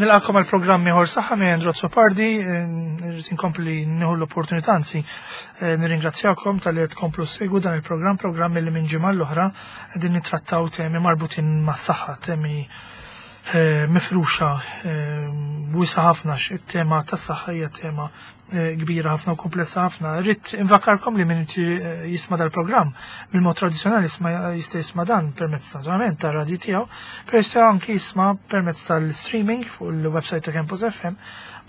Nilqakom għal programm ieħor saħħa minn Andrew Azzopardi, irrid inkompli nieħu l-opportunità anzi eh, nirringrazzjakom tal-li qed tkomplu segwu dan il-programm, programm li minn ġimgħa l-oħra qegħdin nittrattaw temi marbutin mas-saħħa, temi eh, mifruxa eh, wisa ħafna it-tema tas-saħħa hija tema Eh, kbira ħafna u komplessa ħafna. Rrid invakarkom li min eh, jisma' dal-programm mill-mod tradizzjonali jista' jisma' dan permezz naturalment tar-radju tiegħu, però jista' anki jisma' permezz tal-streaming fuq il-website ta' Campus FM.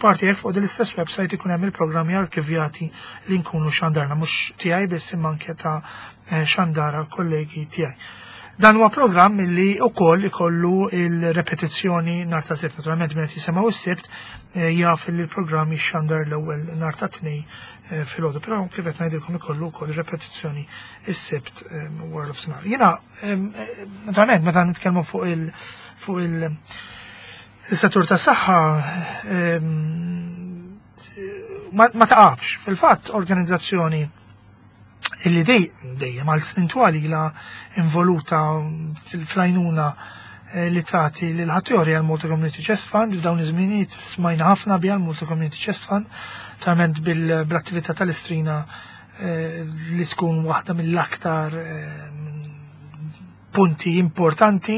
Parti hekk fuq din l-istess website ikun hemm il-programmi arkivjati li nkunu xandarna mhux tiegħi biss imma anke ta' eh, xandara kollegi tiegħi. Dan huwa programm li wkoll ikollu il-repetizzjoni nhar ta' Sibt. Naturalment minn qed jisimgħu s-Sibt eh, jaf li l-programm jixxandar l-ewwel nhar ta' Tnejn eh, filgħodu, però kif qed ngħidilkom ikollu wkoll repetizzjoni s-Sibt eh, wara nofsinhar. Jiena naturalment meta nitkellmu fuq il fuq il is-settur ta' saħħa ma taqafx. Fil-fatt organizzazzjoni illi dej dejjem għal snin twal ilha involuta fil-flajnuna eh, li tagħti lil ħaddieħor għal Malta Community Chest Fund f'dawn iż-żminijiet smajna ħafna biha l-Malta Community Chest Fund talment bil-attività tal-istrina eh, li tkun waħda mill-aktar eh, punti importanti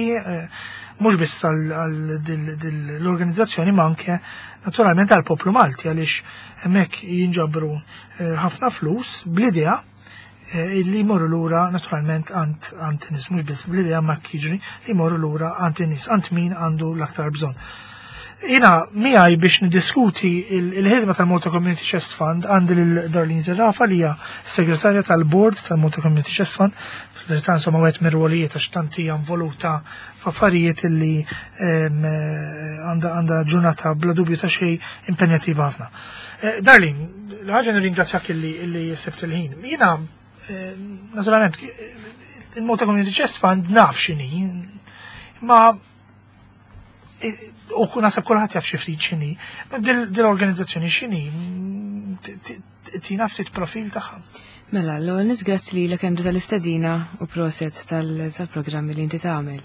mhux biss għall-organizzazzjoni ma anke naturalment għall-poplu Malti għaliex hemmhekk jinġabru eh, ħafna flus bl-idea eh, li jmorru lura naturalment għand għand nies mhux biss bl-idea ma jiġri li jmorru lura għand in-nies għand min għandu l-aktar bżonn. Jina miegħi biex niddiskuti il-ħidma tal-Malta Community Chest Fund għandi lil Darlene Zerafa li hija segretarja tal-board tal-Malta Community Chest Fund. Fil-verità insomma wieħed mir-rwolijiet għax tant hija involuta f'affarijiet li għandha ġurnata bla dubju ta' xejn impenjattiva ħafna. Eh, Darlene, l-ħaġa nirringrazzjak illi sebt il-ħin. Jiena eh, naturalment il-Malta Community Chest Fund naf x'inhi, ma u nasab kulħadd jaf xi ftit x'inhi. Dil-organizzazzjoni x'inhi tina ftit profil tagħha. Mela, l-ewwel nies grazzi lilek Andrew tal-istedina u proset tal-programmi li inti tagħmel.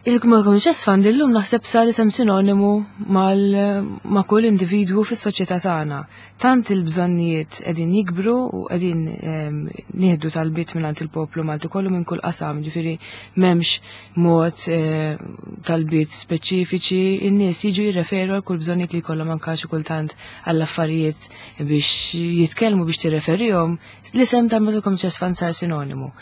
Il-Malcolm Chess Fund illum naħseb sar isem sinonimu ma' kull individwu fis-soċjetà tagħna. Tant il-bżonnijiet qegħdin jikbru u qegħdin ehm, nieħdu talbiet mingħand il-poplu Malti kollu minn kull qasam, ġifieri m'hemmx mod eh, talbiet speċifiċi, in-nies jiġu jirreferu għal kull bżonnijiet li jkollhom anke xi kultant għall affarijiet biex jitkellmu biex tirreferihom, l-isem tal-Malta Community Chest Fund sar sinonimu.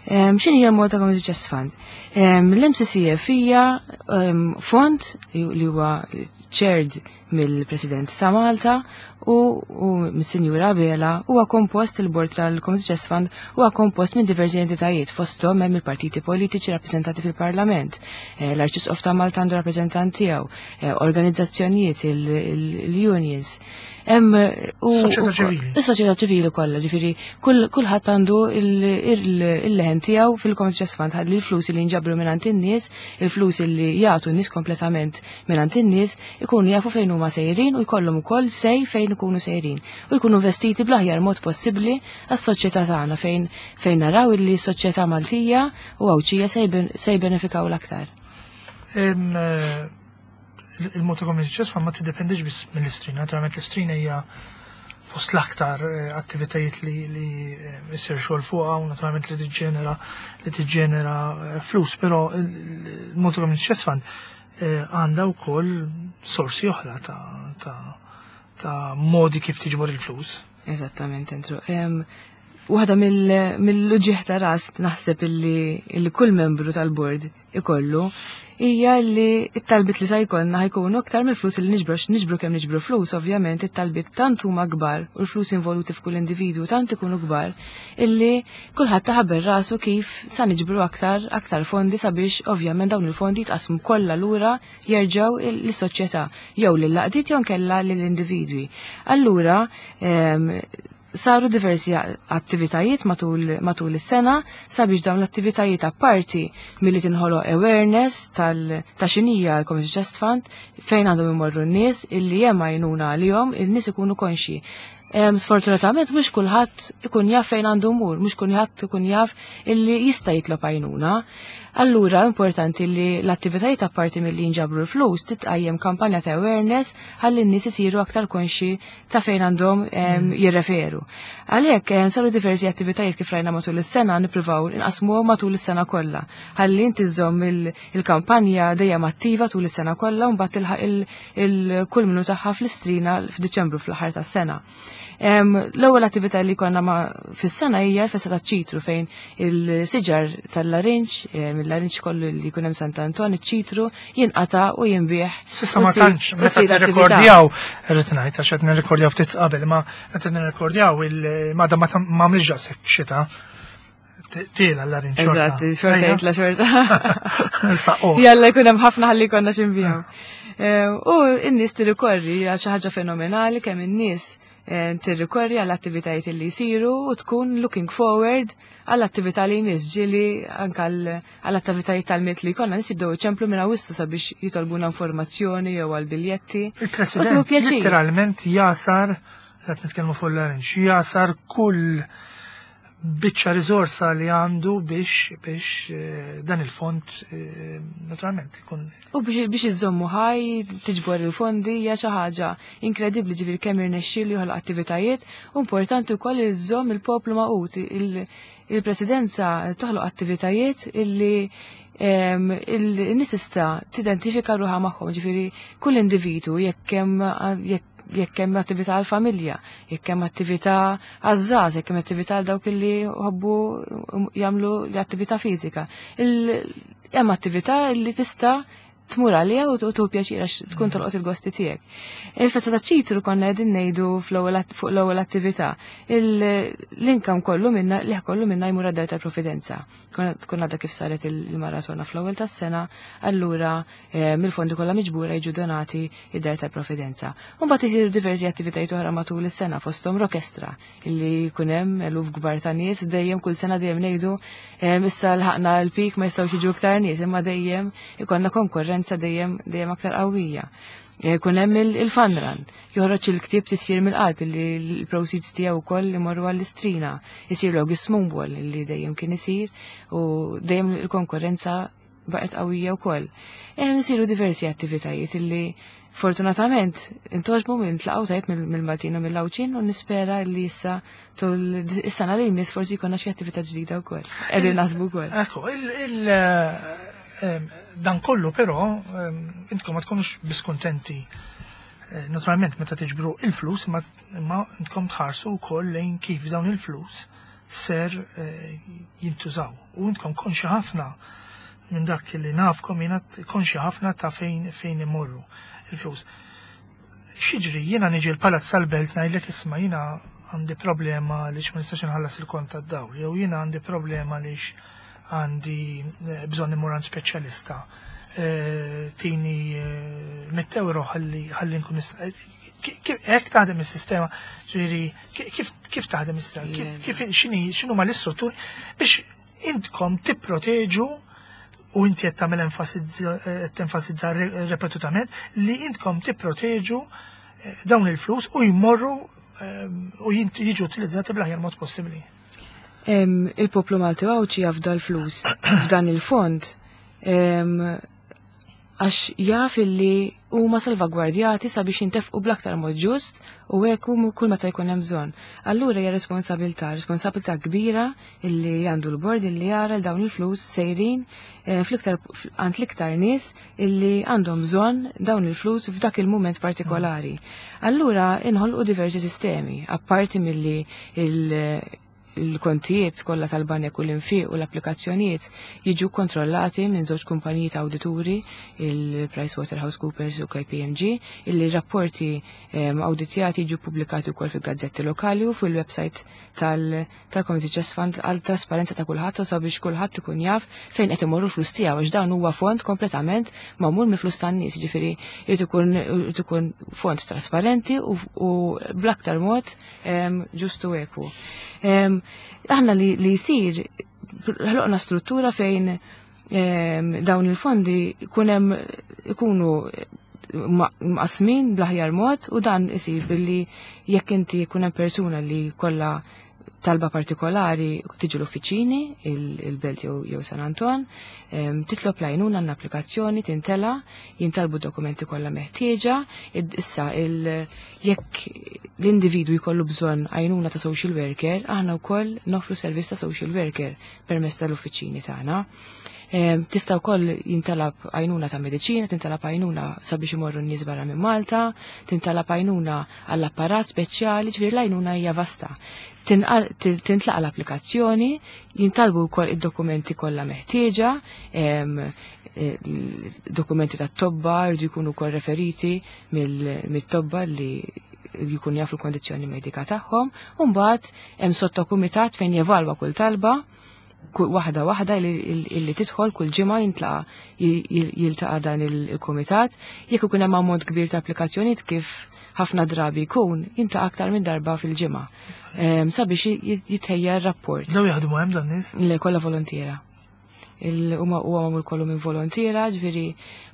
Ehm, x'inhi hija l-Malta Community Chest Fund? Ehm, L-MCCF hija ehm, fond li huwa chaired mill-President ta' Malta u, u mis-Sinjura Abela huwa kompost il-Bord tal-Community Chest Fund huwa kompost minn diversi entitajiet fosthom hemm il-partiti politiċi rappreżentati fil-Parlament, eh, l-Arċisqof ta' Malta għandu rappreżentant tiegħu, eh, organizzazzjonijiet, il-unions. Hemm u Soċjetà ċivili. Is-soċjetà ċivili kollha, ġifieri kulħadd għandu il-leħen tiegħu fil-Community Chest Fund ħalli l-flus li jinġabru mingħand in-nies, il-flus li jagħtu n-nies kompletament mingħand in-nies ikunu jafu fejn huma sejrin u jkollhom ukoll sej fejn ikunu sejrin u jkunu investiti bl-aħjar mod possibbli għas-soċjetà tagħna fejn fejn naraw illi s-soċjetà Maltija u Għawdxija se jbenefikaw l-aktar. Eh, Il-Malta Community Chest Fund ma tiddependix biss mill-istrina, naturalment l-istrina hija fost l-aktar eh, attivitajiet li li eh, jsir xogħol fuqha u naturalment li tiġġenera li tiġġenera flus, però il-Malta Community Chest Fund Eh, għandha wkoll sorsi oħra ta', ta, ta modi kif tiġbor il-flus. Eżattament, Andrew. Waħda mill-uġieħ ta' ras naħseb illi kull membru tal-bord ikollu hija li t-talbit li sa jkollna ħajkunu aktar mill-flus li niġbru niġbru kemm niġbru flus, ovvjament it-talbit tant huma kbar u l-flus involuti f'kull individwu tant ikunu kbar illi Kulħadd taħabel rasu kif sa niġbru aktar aktar fondi sabiex ovvjament dawn il-fondi jitqasmu kollha lura jerġgħu lis-soċjetà jew lill-għaqdiet jew nkella lill-individwi. Allura ehm, saru diversi attivitajiet matul, matul is-sena sabiex dawn l-attivitajiet apparti milli tinħoloq awareness tal ta' xinija l-Community Chest Fund fejn għandhom imorru n-nies illi hemm għajnuna għalihom, in-nies ikunu konxi. Sfortunatament mhux kulħadd ikun jaf fejn għandu mur, mhux kulħadd ikun jaf illi jista' jitlob għajnuna. Allura importanti li l-attivitajiet apparti milli jinġabru l-flus titqajjem kampanja ta' awareness ħalli n-nies isiru aktar konxi ta' fejn għandhom jirreferu. Għalhekk saru diversi attivitajiet kif rajna matul is-sena, nippruvaw inqasmuhom matul is-sena kollha. Ħalli inti żżomm il-kampanja dejjem attiva tul is-sena kollha u mbagħad tilħaq il-kulminu tagħha fl-Istrina f'Diċembru, fl-aħħar tas-sena. L-ewwel attività li konna ma fis-sena hija l-festa taċ-ċitru, fejn il-siġar tal-larinġ, mill-larinġ kollu li jkun hemm Sant Anton, iċ-ċitru jinqata' u jinbiegħ. S'issa ma tantx, meta nirrekordjaw, irrid ngħid għax qed nirrekordjaw ftit qabel, ma meta nirrekordjaw il-mada ma għamilx daqshekk xita. Tiela l-larinġ. Eżatt, xorta jitla xorta. Saqqu. Jalla jkun hemm ħafna ħalli konna x'inbiegħu. U n-nies tirrikorri għal xi ħaġa fenomenali kemm in-nies tirrikorri għall attivitajiet li jsiru u tkun looking forward għall attività li jmiss. Ġieli anke għall attivitajiet tal-Milied li jkollna, nies jibdew iċemplu minn Awwissu sabiex jitolbuna informazzjoni jew għal biljetti. Il-President literalment jasar, qed nitkellmu fuq l-larinġ, jasar kull biċċa riżorsa li għandu biex dan il-fond naturalment ikun. U biex iżommu ħaj, tiġbor il-fondi, hija xi ħaġa inkredibbli, ġifieri kemm irnexxielu joħloq attivitajiet, u importanti wkoll iżomm il-poplu magħqud. Il-presidenza toħloq attivitajiet illi il-nies tista' tidentifika ruħha magħhom, ġifieri kull individu, jekk hemm attività għall-familja, jekk hemm attività għaż-żgħażagħ, jekk hemm attività għal dawk li jħobbu jagħmlu l-attività fiżika. Hemm attività li tista' tmur għaliha u tu pjaċir għax tkun tolqot il-gosti tiegħek. Il-festa ta' ċitru konna qegħdin ngħidu fuq l-ewwel attività. L-income kollu minna, li kollu minna jmur għad-Dar tal-Providenza. Tkun għadha kif saret il-maratona fl-ewwel tas-sena, allura mill-fondi kollha miġbura jiġu donati id-Dar tal-Providenza. U mbagħad isiru diversi attivitajiet oħra matul is-sena, fosthom orkestra illi jkun hemm eluf kbar ta' nies, dejjem kull sena dejjem ngħidu issa lħaqna l-pik, ma jistgħux jiġu iktar nies, imma dejjem ikollna konkurrenza dejjem aktar qawwija. Jkun hemm il-fun run, joħroġ il-ktieb Tisjir mill-Qalb illi l-proceeds tiegħu wkoll imorru għall-Istrina, isir l-August Moonball illi dejjem kien isir u dejjem il-konkurrenza baqgħet qawwija wkoll. Isiru diversi attivitajiet illi fortunatament intogħġbu minn tlaqgħu tajjeb mill-Maltin u mill-Għawdxin, u nispera li issa tul is-sena li jmiss forsi jkollna xi attività ġdida wkoll. Qegħdin naħsbu wkoll. Ekku, dan kollu però intkom ma tkunux biss kuntenti naturalment meta tiġbru il-flus, imma intkom tħarsu wkoll lejn kif dawn il-flus ser jintużaw. U intkom konxi ħafna minn dak li nafkom, jiena konxi ħafna ta' fejn imorru il-flus. X'jiġri, jiena niġi l-Palazz tal-Belt ngħidlek, "Isma', jiena għandi problema li ma nistax inħallas il-kont tad-dawl, jew jiena għandi problema li għandi bżonn immur għand speċjalista. Tini 100 euro ħalli nkun nista'." Hekk taħdem is-sistema, ġifieri kif taħdem is-sistema? Kif x'inhu ma l-istrutturi biex intkom tipproteġu, u inti qed tagħmel tenfasizza ripetutament li intkom tipproteġu dawn il-flus u jmorru u jiġu utilizzati bl-aħjar mod possibbli? Il-poplu Malti Għawdxi jafda l-flus f'dan il-fond għax jaf illi huma salvagwardjati sabiex jintefqu bl-aktar mod ġust u hekk kull meta jkun hemm bżonn. Allura hija responsabilità kbira illi għandu l-bord illi jara l dawn il-flus sejrin fl-iktar għand l-iktar nies illi għandhom bżonn dawn il-flus f'dak il-mument partikolari. Allura inħolqu diversi sistemi, apparti milli il-kontijiet kollha tal-banek u l-infiq u l-applikazzjonijiet jiġu kontrollati minn żewġ kumpaniji ta' awdituri, il-PricewaterhouseCoopers u KPMG, illi rapporti awditjati jiġu pubblikati wkoll fil-gazzetti lokali u fil-website tal-Community Chest Fund għal trasparenza ta' kulħadd u sabiex kulħadd ikun jaf fejn qed imorru l-flus tiegħu, għax dan huwa fond kompletament magħmul mill-flus tan-nies, jiġifieri jrid ikun fond trasparenti u bl-aktar mod ġustu ekwu. Aħna li jsir, ħloqna struttura fejn dawn il-fondi ikunu mqasmin bl-aħjar mod u dan isir billi jekk inti jkun hemm persuna li kollha talba partikolari tiġi l-uffiċini, il-Belt jew San Anton, titlob l-għajnuna l-applikazzjoni tintela, jintalbu dokumenti kollha meħtieġa, issa jekk l-individwu jkollu bżonn għajnuna ta' social worker, aħna wkoll nofru servizz ta' social worker permezz tal-uffiċini tagħna. Tista' wkoll jintalab għajnuna ta' mediċina, tintalab għajnuna sabiex imorru n-nies barra minn Malta, tintalab għajnuna għall-apparat speċjali, ġifieri l-għajnuna hija vasta. Tintlaqa l-applikazzjoni, jintalbu wkoll id-dokumenti kollha meħtieġa, dokumenti tat-tobba jridu jkunu wkoll referiti mit-tobba li jkun jafu l-kondizzjoni medika tagħhom, u mbagħad hemm sottokumitat fejn jevalwa kull talba, kull waħda waħda illi tidħol kull ġimgħa jintlaqa jiltaqa' dan il-kumitat. Jekk ikun hemm ammont kbir ta' applikazzjonijiet kif ħafna drabi jkun, jintlaqa' aktar minn darba fil-ġimgħa. Sabiex jitħejja r-rapport. Daw jaħdmu hemm dan nies? Le, kollha volontiera. Huma huwa magħmul kollu minn volontiera, ġifieri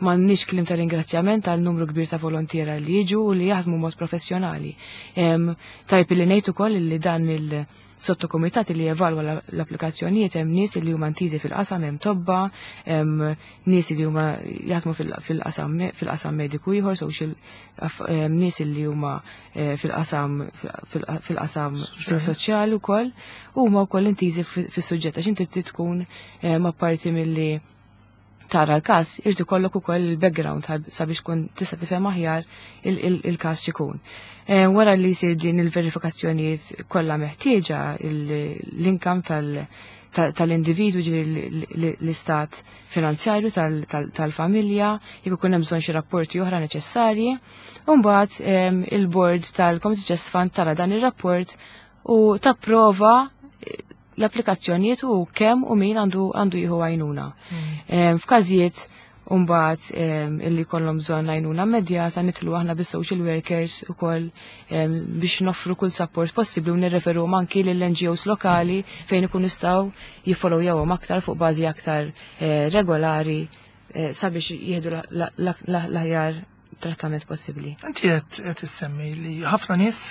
m'għandniex kliem ta' ringrazzjament għal numru kbir ta' volontiera li jiġu u li jaħdmu mod professjonali. Tajb li ngħid ukoll li dan il- sottokomitat li jevalwa l-applikazzjonijiet hemm nies li huma ntiżi fil-qasam, hemm tobba, hemm nies li huma jaħdmu fil-qasam mediku ieħor, social, hemm nies li huma fil-qasam soċjali wkoll, u huma wkoll intiżi fis-suġġett għax inti trid tkun apparti milli tara l-każ, irid ikollok ukoll il-background sabiex tkun tista' tifhem aħjar il-każ x'ikun. Wara li jsir din il-verifikazzjonijiet kollha meħtieġa, l-income tal-individwu, ġifieri l-istat finanzjarju tal-familja, jekk ikun hemm bżonn xi rapporti oħra neċessarji, u mbagħad il-board tal-Community Chest Fund tara dan ir-rapport u tapprova l-applikazzjonijiet u kemm u min għandu jieħu għajnuna. F'każijiet mbagħad illi kollhom bżonn għajnuna immedjata nitlu aħna bis-social workers ukoll biex noffru kull support possibbli u nirreferu anki lill-NGOs lokali fejn ikun jistgħu jiffollowjawhom aktar fuq bażi aktar regolari sabiex jieħdu l-aħjar trattament possibbli. Inti qed issemmi li ħafna nies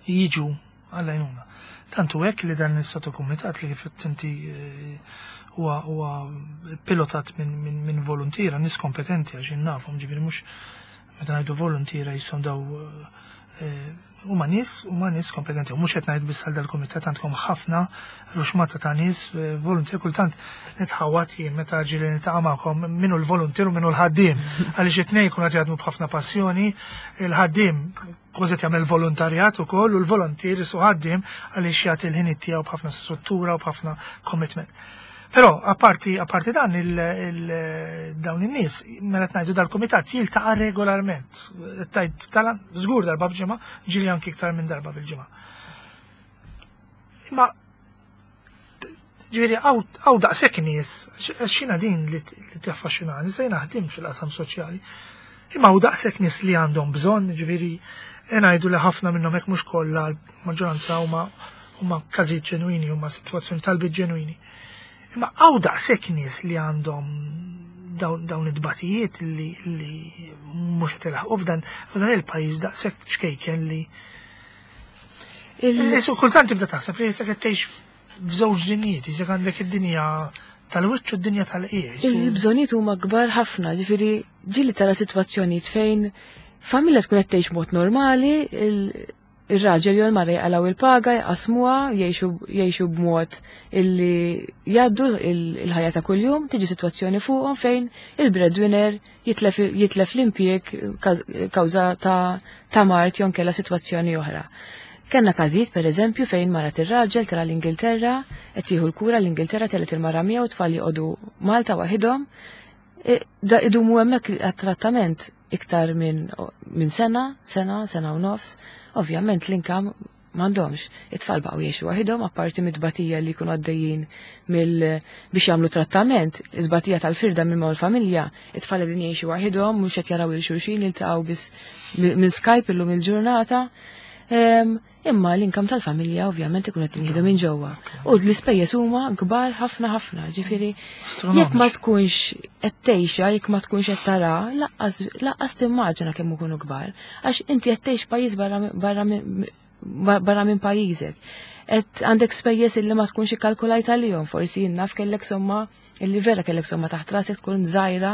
jiġu għall-għajnuna. Tantu hekk li dan is-sottokumitat li kif inti huwa pilotat minn volontiera, nies kompetenti għax nafhom, ġifieri mhux meta ngħidu volontiera jisom daw huma nies kompetenti. U mhux qed ngħid biss għal dal-kumitat, għandkom ħafna ruxmata ta' nies volontier, kultant nitħawat jien meta ġieli niltaqa' magħkom minnu l-volontier u minnu l-ħaddiem, għaliex it-tnejn jkunu qed jaħdmu b'ħafna passjoni, il-ħaddiem kważi qed jagħmel volontarjat ukoll u l-volontier isu ħaddiem għaliex jagħti l-ħin tiegħu b'ħafna struttura u b'ħafna commitment. Però apparti dan dawn in-nies, mela qed ngħidu dal-kumitat jiltaqa' regolarment. Tajt tala żgur darba f'ġimgħa, ġieli anki iktar minn darba fil-ġimgħa. Imma ġifieri hawn daqshekk nies, x'inha din li taffaxxinani, se naħdim fil-qasam soċjali. Imma hawn daqshekk nies li għandhom bżonn, ġifieri ngħidu li ħafna minnhom hekk mhux kollha, l-maġġoranza huma każijiet ġenwini, huma sitwazzjoni talbiet ġenwini. Imma hawn daqshekk nies li għandhom dawn it-tbatijiet li mhux qed ilaħqu f'dan il-pajjiż daqshekk ċkejken li Isu kultant tibda taħseb li jisek qed tgħix f'żewġ dinjiet, jisek għandek id-dinja tal-wiċċ u d-dinja tal-qiegħ. Il-bżonnijiet huma kbar ħafna, ġifieri ġieli tara sitwazzjonijiet fejn familja tkun qed tgħix mod normali, ir-raġel jew il-mara jaqalgħu il-paga, jqasmuha, jgħixu b'mod illi jgħaddu il-ħajja ta' kuljum, tiġi sitwazzjoni fuqhom fejn il-breadwinner jitlef l-impjieg kawża ta' mard jew inkella sitwazzjoni oħra. Kenna każijiet pereżempju fejn mara tir-raġel tara l-Ingilterra, qed jieħu l-kura l-Ingilterra telgħet il-mara miegħu tfal joqogħdu Malta waħidhom. Da idumu hemmhekk għat-trattament iktar minn sena, sena, sena u nofs. Ovvjament l-inkam m'għandhomx. It-tfal baqgħu jgħixu waħidhom apparti mid-tbatija li jkunu għaddejjin biex jagħmlu trattament, it-tbatija tal-firda minn mal-familja, it-tfal qegħdin jgħixu waħidhom, mhux qed jaraw il xulxin, jiltaqgħu biss minn Skype illum il-ġurnata. Imma l-income tal-familja ovvjament ikun qed jinħidu minn ġewwa. U l-ispejjeż huma kbar ħafna ħafna, ġifieri jekk ma tkunx qed tgħixha, jekk ma tkunx qed tara, laqqas timmaġina kemm ikunu kbar. Għax inti qed tgħix pajjiż barra barra minn pajjiżek. Et għandek spejjeż illi ma tkunx ikkalkulajt għalihom, forsi jien naf kellek somma illi vera kellek somma taħt rasek tkun żgħira,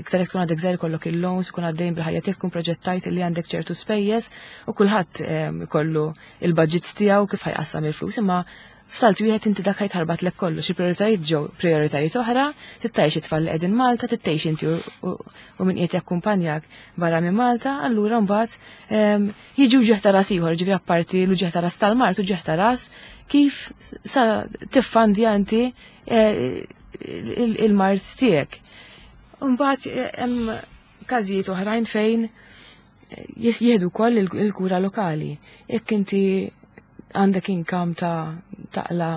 iktar jekk tkun għadek żgħir kollok il-loans, tkun għaddejn bil-ħajja tiegħek tkun proġettajt illi għandek ċertu spejjeż u kulħadd ikollu il-budgets tiegħu kif ħajqassam il-flus, imma F'salt wieħed inti dak ħajtħarbatlek kollox, il-prioritajiet ġew prioritajiet oħra, tittajx it-tfal li qegħdin Malta, tittajx inti u min qiegħed jakkumpanjak barra minn Malta, allura mbagħad jiġi uġigħ ta' ras ieħor, ġifieri apparti l-uġigħ ta' ras tal-mard, uġigħ ta' ras kif sa tiffandja inti il-mard tiegħek. Mbagħad hemm każijiet oħrajn fejn jieħdu wkoll il-kura lokali. Jekk inti għandek income ta' taqla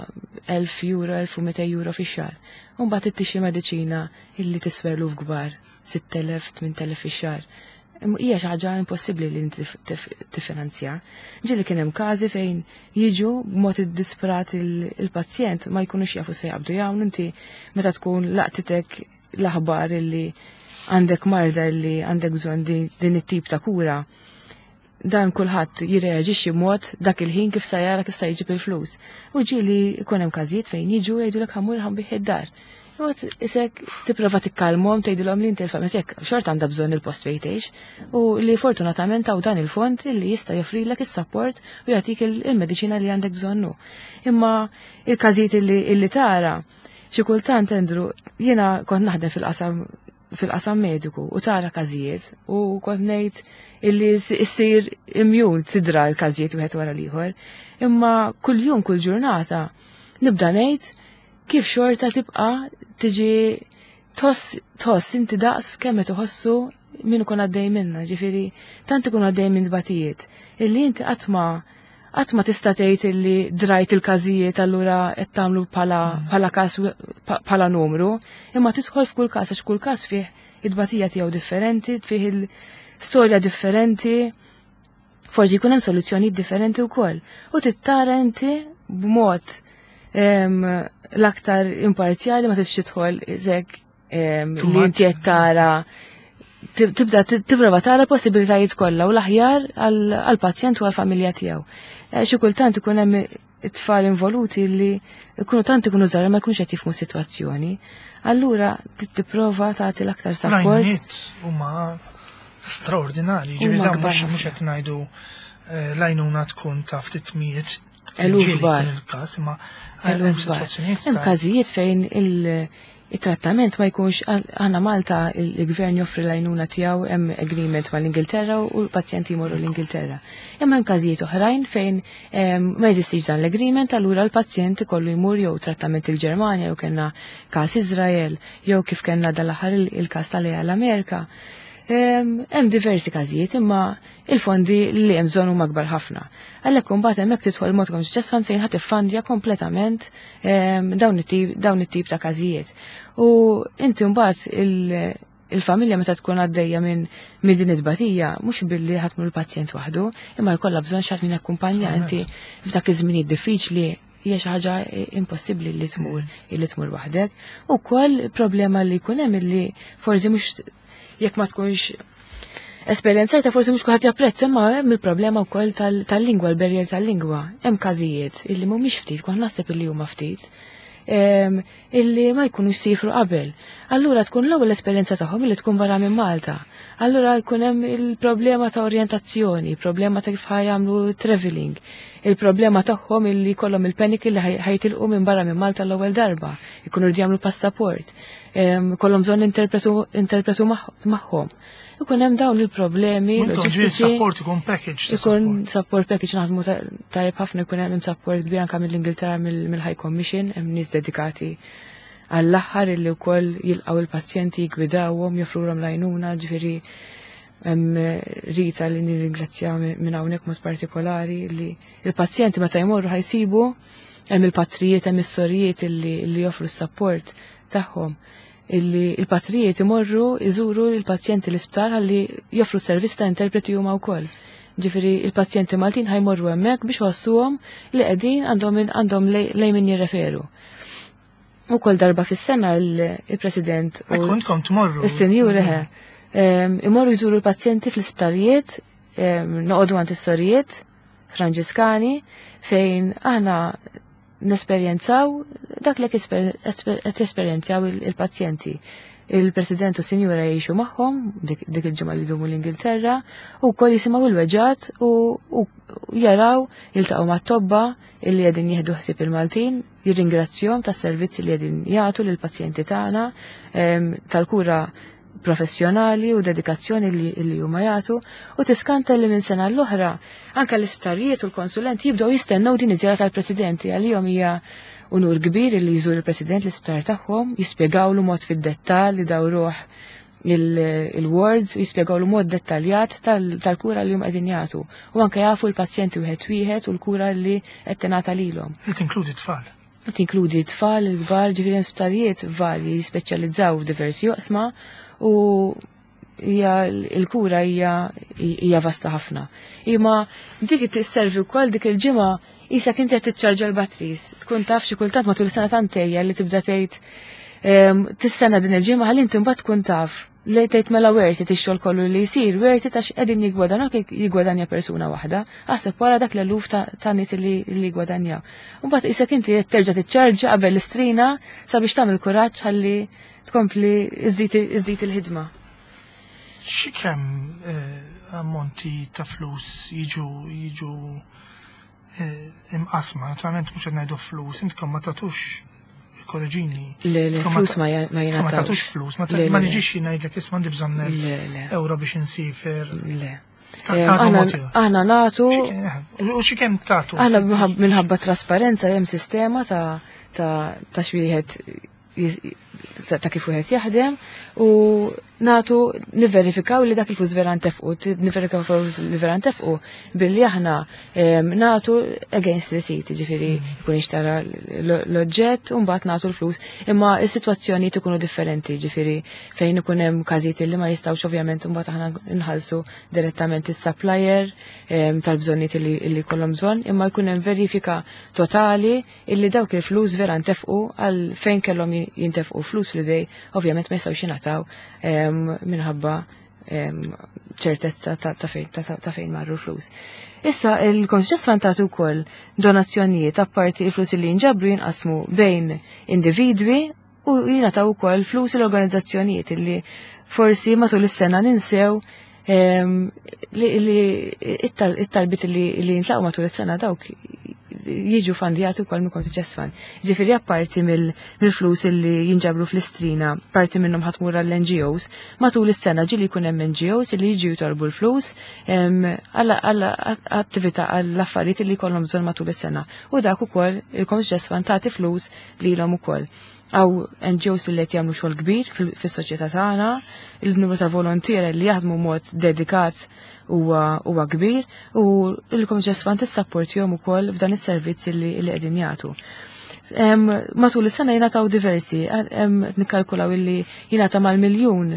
1000 euro, 1200 euro fix-xahar. U mbagħad ittixxi mediċina illi tiswa eluf kbar, 6000, 8000 fix-xahar. Hija xi ħaġa impossibbli li inti tiffinanzja. Ġieli kien hemm każi fejn jiġu b'mod iddisprat il-pazjent ma jkunux jafu se jaqbdu jagħmlu inti meta tkun laqtitek l-aħbar illi għandek marda illi għandek bżonn din it-tip ta' kura. Dan kulħadd jirreaġixxi mod dak il-ħin kif sa jara kif sa jġib il-flus. U ġieli jkun hemm każijiet fejn jiġu jgħidulek ħa mmur ħa nbigħ id-dar. Imbagħad isek tipprova tikkalmhom tgħidilhom li inti l-familja tiegħek xorta għandha bżonn il-post fejn tgħix u li fortunatament hawn dan il-fond illi jista' joffrilek is-support u jagħtik il-mediċina li għandek bżonnu. Imma il-każijiet illi tara xi kultant, Andrew, jiena kont naħdem fil-qasam mediku u tara każijiet u kont ngħid illi issir immune tidra l-każijiet wieħed wara l-ieħor. Imma kull jum, kull ġurnata nibda ngħid kif xorta tibqa' tiġi tħoss inti daqs kemm qed iħossu min ikun għaddej minna, ġifieri tant ikun għaddej minn tbatijiet illi inti qatt ma tista' tgħid illi drajt il-każijiet allura qed tagħmlu bħala każ bħala numru, imma tidħol f'kull każ għax kull każ fih it-tbatija tiegħu differenti, fih il-storja differenti, forsi jkun hemm soluzzjonijiet differenti wkoll. U tittara inti b'mod l-aktar imparzjali ma tridx tidħol iżek li inti qed tara tibda tipprova tara possibilitajiet kollha u l-aħjar għall-pazjent u għall-familja tiegħu. Xi kultant ikun hemm it-tfal involuti li ikunu tant ikunu żgħar ma jkunux qed jifhmu sitwazzjoni. Allura tipprova tagħti l-aktar support. L-għajnuniet huma straordinari, ġifieri dawn mhux qed ngħidu l-għajnuna tkun ta' ftit mijiet. Eluf kbar. Il-każ, imma Eluf kbar. Hemm każijiet fejn il-trattament ma jkunx għandna Malta il-gvern joffri l-għajnuna tiegħu, hemm agreement mal-Ingilterra u l-pazjenti jmorru l-Ingilterra. Imma hemm każijiet oħrajn fejn ma jeżistix dan l-agreement, allura l-pazjent ikollu jmur jew trattament il-Ġermanja jew kellna każ Izrael jew kif kellna dal-aħħar il-każ tal l-Amerika. Hemm diversi każijiet imma il-fondi li hemm bżonn huma kbar ħafna. Għalhekk imbagħad hemmhekk tidħol Malta Community Chest Fund fejn ħadd iffandja kompletament dawn it-tip ta' każijiet. U inti mbagħad il-familja meta tkun għaddejja minn din it-tbatija, mhux billi ħa tmur il-pazjent waħdu, imma jkollha bżonn xi ħadd min jakkumpanja inti f'dak iż-żminijiet diffiċli hija xi ħaġa impossibbli li tmur waħdek. U wkoll problema li jkun hemm illi forsi mhux jekk ma tkunx esperjenzajta forsi mhux kulħadd japprezza, imma hemm il-problema wkoll tal-lingwa, l-barrier tal-lingwa. Hemm każijiet illi mhumiex ftit, kont naħseb illi huma ftit, illi ma jkunux sifru qabel. Allura tkun l-ewwel esperjenza tagħhom illi tkun barra minn Malta. Allura jkun hemm il-problema ta' orjentazzjoni, problema ta' kif ħa jagħmlu traveling, il-problema tagħhom illi kollhom il-panic illi ħa jitilqu minn barra minn Malta l-ewwel darba, ikunu rridu jagħmlu passaport, kollhom bżonn interpretu magħhom. Ikun hemm dawn il-problemi loġistiċi. Support ikun package. Ikun support package, naħdmu tajjeb ħafna, ikun hemm support kbir anke mill-Ingilterra, mill-High Commission, hemm nies dedikati għall-aħħar illi wkoll jilqgħu il-pazjenti, jgwidawhom, joffrulhom l-għajnuna, ġifieri hemm Rita li nirringrazzja minn hawnhekk mod partikolari li il-pazjenti meta jmorru ħa jsibu hemm il-patrijiet, hemm is-sorijiet illi joffru s-support tagħhom, illi il-patrijiet imorru iżuru il-pazjenti l-isptar għalli joffru servizz ta' interpreti huma wkoll. Ġifieri il-pazjenti Maltin ħa jmorru hemmhekk biex iħossuhom li qegħdin għandhom għandhom lejn min jirreferu. U kol darba fis-sena il-President u Kontkom tmorru. Is-senjuri ħe. Imorru jżuru l-pazjenti fl-isptarijiet, noqogħdu għand is-sorijiet Franġiskani fejn aħna nesperjenzaw dak li qed jesperjenzaw il-pazjenti. Il-President u Sinjura jgħixu magħhom dik il-ġimgħa li jdumu l-Ingilterra u wkoll jisimgħu l-weġgħat u jaraw jiltaqgħu mat-tobba illi qegħdin jieħdu ħsieb il-Maltin, jirringrazzjahom tas-servizzi li qegħdin jagħtu lill-pazjenti tagħna, tal-kura professjonali u dedikazzjoni li huma jagħtu u tiskanta li minn sena l-oħra anke l-isptarijiet u l-konsulenti jibdew jistennew din iż-żjara tal-Presidenti għalihom hija unur kbir li jżur il-President l-isptar tagħhom, jispjegawlu mod fid-dettall li dawruh il-wards u jispjegawlu mod dettaljat tal-kura li huma qegħdin jagħtu. U anke jafu l-pazjenti wieħed wieħed u l-kura li qed tingħata lilhom. Li tinkludi tfal. Tinkludi tfal, il-kbar, ġifieri sptarijiet varji jispeċjalizzaw f'diversi oqsma u hija l-kura hija vasta ħafna. Imma dik tisservi wkoll dik il-ġimgħa isa inti qed tiċċarġa l-batteries. Tkun taf xi kultant matul sena tantejja li tibda tgħid tistenna din il-ġimgħa ħalli inti mbagħad tkun taf li tgħid mela worth it ix-xogħol kollu li jsir, worth it għax qegħdin jiggwadanjaw kif jiggwadanja persuna waħda, aħseb wara dak l-eluf ta' nies li jiggwadanjaw. U mbagħad isek inti qed terġa' tiċċarġa qabel l-istrina sabiex tagħmel kuraġġ ħalli tkompli iżżid il-ħidma. Xi kemm ammonti ta' flus jiġu imqasma, naturalment mhux qed ngħidu flus, intkom ma tagħtux korreġini. Le, flus ma ma jingħatawx. Tagħtux flus, ma Le, ma le. niġix ngħidlek isma' għandi bżonn Le, le. euro biex insifer. Le. Tagħtu mod ieħor. Aħna nagħtu U xi kemm tagħtu? Aħna minħabba trasparenza hemm sistema ta' xwieħed ta' kif wieħed jaħdem u nagħtu niverifikaw li dak il-flus vera ntefqu, niverifikaw flus li vera ntefqu billi aħna nagħtu against receipt, ġifieri jkun ixtara l-oġġett u mbagħad nagħtu l-flus, imma s-sitwazzjonijiet ikunu differenti, ġifieri fejn ikun hemm każijiet li ma jistgħux ovvjament mbagħad aħna nħallsu direttament is-supplier tal-bżonnijiet li jkollhom bżonn, imma jkun hemm verifika totali illi dawk il-flus vera ntefqu għal fejn kellhom jintefqu flus li dej ovvjament ma jistgħux jingħataw minħabba ċertezza ta' fejn marru l-flus. Issa il-Community Fund tagħtu wkoll donazzjonijiet apparti il-flus li jinġabru jinqasmu bejn individwi u jingħataw ukoll flus l-organizzazzjonijiet illi forsi matul is-sena ninsew li it-talbit li jintlaqgħu matul is-sena dawk jiġu fandjati wkoll mill Community Chest Fund. Ġifieri apparti mill-flus illi jinġabru fl-istrina, parti minnhom ħa tmur għall-NGOs, matul is-sena ġieli jkun hemm NGOs illi jiġu jitolbu l-flus għall attività għall affarijiet li jkollhom bżonn matul is-sena. U dak ukoll il-Community Chest Fund tagħti flus lilhom ukoll. Għaw NGOs li qed jagħmlu xogħol kbir fis-soċjetà tagħna, il-numru ta' volontiera li jaħdmu mod dedikat huwa kbir u l-Community Chest Fund tissapportihom ukoll f'dan is-servizz li qegħdin jagħtu. Matul is-sena jingħataw diversi, nikkalkulaw illi jingħata mal-miljun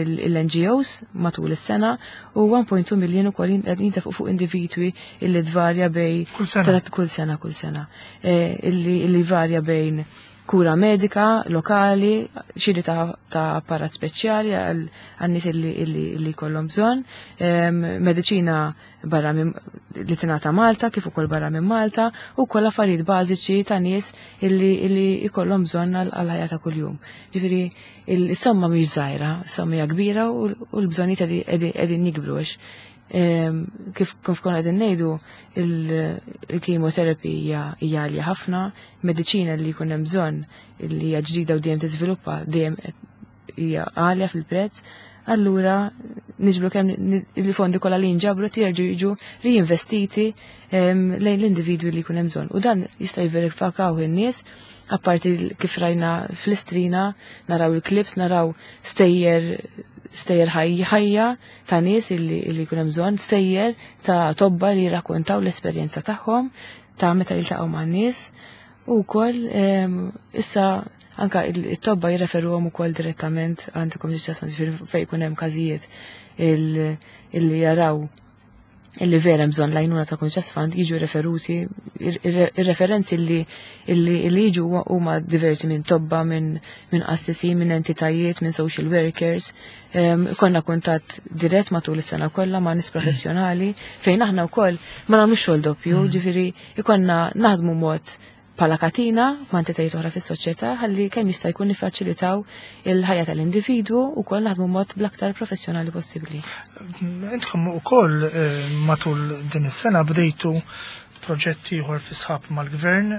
il-NGOs matul is-sena u 1.2 miljun ukoll jintefqu fuq individwi illi tvarja bej Kull sena. Kull sena, kull sena. Illi varja bejn kura medika, lokali, xiri ta' apparat speċjali għal nies illi kollhom bżonn, mediċina barra minn li tingħata Malta, kif ukoll barra minn Malta, u wkoll affarijiet bażiċi ta' nies illi jkollhom bżonn għal ħajja ta' kuljum. Ġifieri il-somma mhix żgħira, somma hija kbira u l-bżonnijiet qegħdin jikbru għax kif konna qegħdin ngħidu il-chemotherapy hija għalja ħafna, mediċina li jkun hemm bżonn li hija ġdida u dejjem tiżviluppa dejjem hija għalja fil-prezz, allura niġbru kemm il-fondi kollha li jinġabru jerġgħu jiġu reinvestiti lejn l-individwi li jkun hemm bżonn. U dan jista' jverifikaw in-nies, apparti kif rajna fl-istrina, naraw il-clips, naraw stejjer ħajja ta' nies illi jkun hemm bżonn, stejjer ta' tobba li jirrakkontaw l-esperjenza tagħhom ta' meta jiltaqgħu man-nies u wkoll issa anka it-tobba jirreferuhom ukoll direttament għand il-Community Chest Fund, ġifieri fejn jkun hemm każijiet Illi jaraw illi vera bżonn l-għajnuna ta' Conscious Fund jiġu referuti, ir-referenzi li jiġu huma diversi minn tobba, minn qassisin, minn entitajiet, minn social workers. Konna kuntatt dirett matul is-sena kollha ma' nies professjonali fejn aħna wkoll ma nagħmlux xogħol doppju, ġifieri ikonna naħdmu mod bħala katina ma' entitajiet oħra fis-soċjetà ħalli kemm jista' jkun niffaċilitaw il-ħajja tal-individwu u wkoll naħdmu mod bl-aktar professjonali possibbli. Intkom ukoll matul din is-sena bdejtu proġetti ieħor fi sħab mal-gvern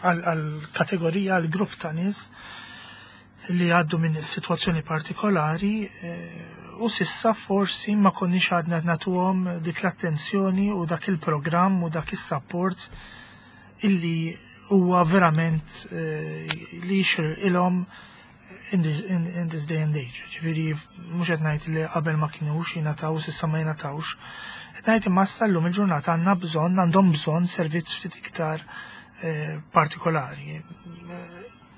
għal kategorija, għal grupp ta' nies li għaddu minn sitwazzjoni partikolari u s'issa forsi ma konniex għadna nagħtuhom dik l-attenzjoni u dak il-programm u dak is-support illi huwa verament li jixirqilhom in this day and age. Ġifieri mhux qed ngħid li qabel ma kinux jingħataw, s'issa ma jingħatawx. Qed ngħid imma issa llum il-ġurnata għandna bżonn, għandhom bżonn servizz ftit iktar partikolari.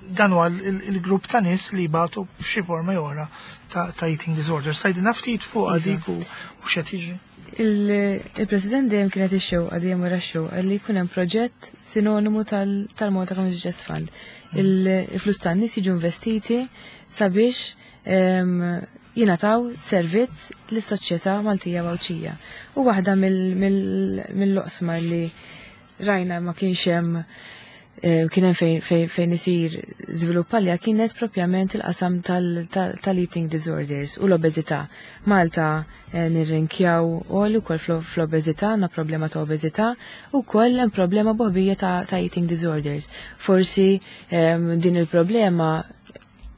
Dan huwa il-grupp ta' nies li jbatu f'xi forma jew oħra ta' eating disorder. Tgħidilna ftit fuq dik u x'qed jiġri. Il-President dejjem kienet ix-xewqa, dejjem wara x-xewqa li jkun hemm proġett sinonimu tal-Malta Community Chest Fund. Il-flus tan-nies jiġu investiti sabiex jingħataw servizz lis-soċjetà Maltija Għawdxija. U waħda mill-oqsma li rajna ma kienx hemm, kien hemm fejn isir żvilupp għalija kienet propjament il-qasam tal-eating disorders u l-obeżità. Malta nirrinkjaw għoli wkoll fl-obeżità, għandna problema ta' obeżità u wkoll hemm problema boħbija ta' eating disorders. Forsi din il-problema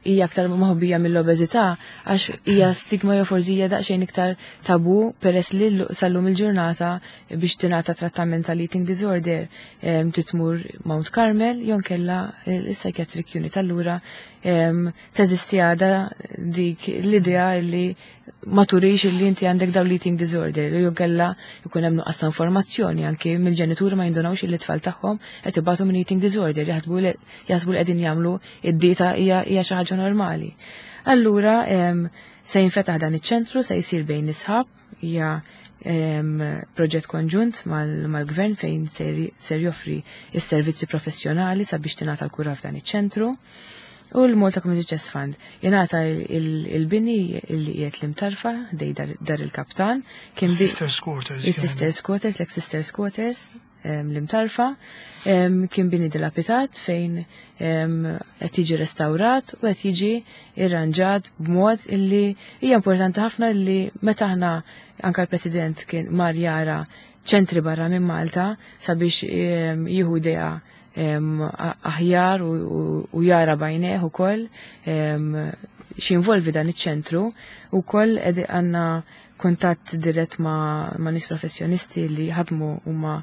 hija aktar moħbija mill-obeżità għax hija stigma jew forsi hija daqsxejn iktar tabu, peress li sal-lum il-ġurnata biex tingħata trattament tal-eating disorder titmur Mount Carmel jew kella il-psychiatric unit. Allura teżisti għada dik l-idea li ma turix li inti għandek daw l-eating disorder jew kella jkun hemm nuqqas ta' informazzjoni anke mill-ġenituri, ma jindunawx li t-tfal tagħhom qed ibatu minn eating disorder, jaħsbu li qegħdin jagħmlu id-dieta hija xi ħaġa normali. Allura se jinfetaħ dan iċ-ċentru, se jsir bejn is-sħab, hija proġett konġunt mal-gvern fejn ser joffri is-servizzi professjonali sabiex tingħata l-kura f'dan iċ-ċentru. U l-Malta Community Chest Fund jingħata il-bini li qiegħed l-Imtarfa dej dar il-kaptan. Kien Sisters Quarters. Il-Sisters Quarters, l-ex-Sisters Quarters, l-Imtarfa, kien bini dilapidat fejn qed jiġi restawrat u qed jiġi irranġat b'mod illi hija importanti ħafna li meta aħna, anka l-President kien mar jara ċentri barra minn Malta sabiex jieħu idea aħjar u jara b'għajnejh ukoll x'involvi dan iċ-ċentru, u koll għandna kuntatt dirett ma' nies professjonisti li ħadmu huma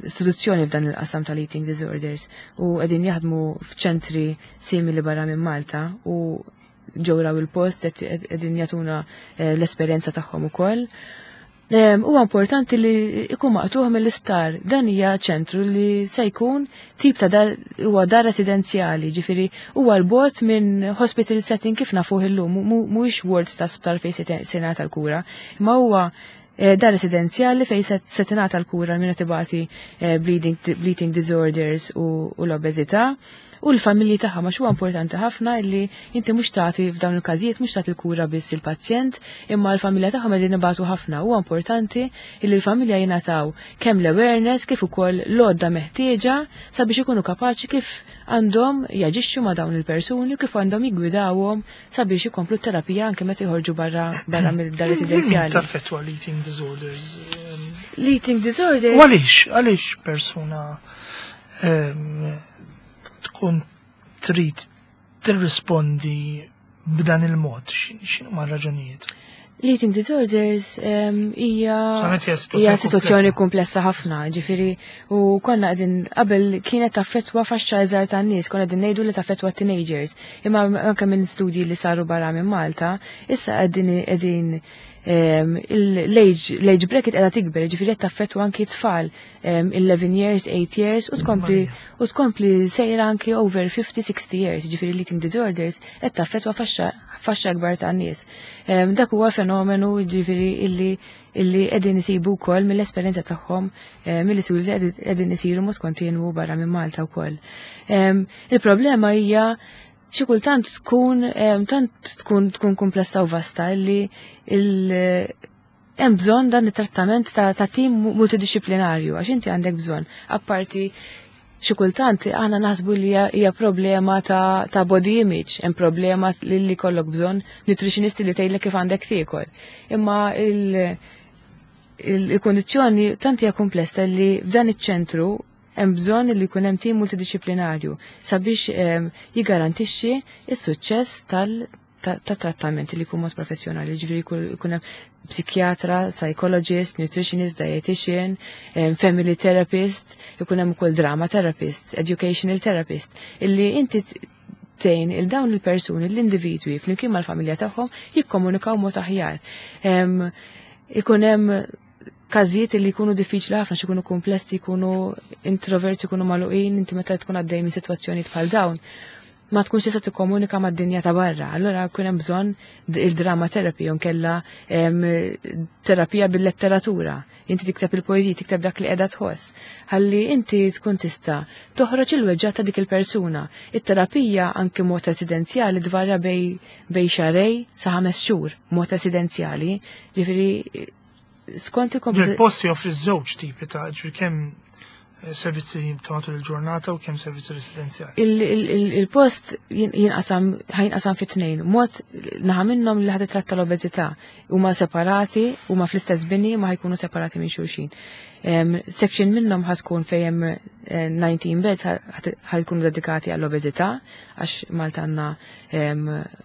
istituzzjoni f'dan il-qasam tal-eating disorders u qegħdin jaħdmu f'ċentri simili barra minn Malta u ġew raw il-post, qegħdin jagħtuna l-esperjenza tagħhom ukoll. Huwa importanti li ikun maqtuħ mill-isptar. Dan hija ċentru li se jkun tip ta' dar, huwa dar residenzjali, ġifieri huwa l-bogħod minn hospital setting kif nafuh illum, mhuwiex ward ta' sptar fejn se jingħata l-kura, imma huwa dar residenzjali fejn se tingħata l-kura minn qed ibati bleeding disorders u l-obeżità u l-familji tagħha, ma huwa importanti ħafna li inti mhux tagħti f'dawn il-każijiet, mhux tagħti l-kura biss il-pazjent, imma l-familja tagħhom qegħdin ibatu ħafna. Huwa importanti li l-familja jingħataw kemm l-awareness kif ukoll l-għodda meħtieġa sabiex ikunu kapaċi kif għandhom jaġixxu ma' dawn il-persuni u kif għandhom jiggwidawhom sabiex ikomplu t-terapija anke meta jħorġu barra mill-dar residenzjali. Taffettwa l-eating disorders? L-eating disorders. U għaliex persuna tkun trid tirrispondi b'dan il-mod? X'inhuma r-raġunijiet? L-eating disorders hija Solament hija hija situazzjoni situazzjoni komplessa ħafna, ġifieri u konna qegħdin qabel kienet taffettwa faxxa iżgħar tan-nies, konna qegħdin ngħidu li taffettwa teenagers. Imma anke minn studji li saru barra minn Malta, issa qegħdin L-age bracket qiegħda tikber, ġifieri qed taffettwa anki tfal 11 years, 8 years u tkompli u tkompli sejra anki over 50-60 years, ġifieri l-eating disorders qed taffettwa faxxa akbar ta' nies. Dak huwa fenomenu ġifieri illi qegħdin isibu wkoll mill-esperjenza tagħhom mill-istudji li qegħdin isiru mod kontinwu barra minn Malta wkoll. Il-problema hija xi kultant tkun tant tkun komplessa u vasta illi hemm bżonn dan it-trattament ta' tim multidisciplinarju, għax inti għandek bżonn, apparti xi kultant aħna naħsbu li hija problema ta' body image, hemm problema li kollok bżonn nutritionisti li tgħidlek kif għandek tiekol. Imma il-kondizzjoni tant hija komplessa li f'dan iċ-ċentru hemm bżonn li jkun hemm tim multidisciplinarju sabiex jiggarantixxi s-suċċess ta' trattament li jkun mod professjonali, ġifieri jkun hemm psikjatra, psychologist, nutritionist, dietitian, family therapist, ikun hemm ukoll drama therapist, educational therapist, illi inti tgħin il dawn il-persuni, l-individwi, flimkien mal-familja tagħhom jikkomunikaw mod aħjar. Ikun hemm każijiet li jkunu diffiċli ħafna, xi jkunu komplessi, jkunu introverti, jkunu magħluqin, inti meta tkun għaddej minn sitwazzjonijiet bħal dawn ma tkunx tista' tikkomunika mad-dinja ta' barra. Allora jkun hemm bżonn il-drama therapy jew kella terapija bil-letteratura. Inti tikteb il-poeżiji, tikteb dak li qiegħda tħoss. Ħalli inti tkun tista' toħroġ il-weġġa ta' dik il-persuna. It-terapija anke mod residenzjali tvarja bejn xahrejn sa 5 xhur mod residenzjali. Ġifieri skont il Il-post joffri żewġ tipi ta', ġifieri kemm servizzi ta' matul il-ġurnata u kemm servizzi residenzjali. Il-post jinqasam, ħa jinqasam fi tnejn. Mod naħa minnhom li ħa titratta l-obeżità huma separati, huma fl-istess bini ma ħa jkunu separati minn xulxin. Section minnhom ħa tkun fejn hemm 19 beds ħa jkunu dedikati għall-obeżità, għax Malta għandna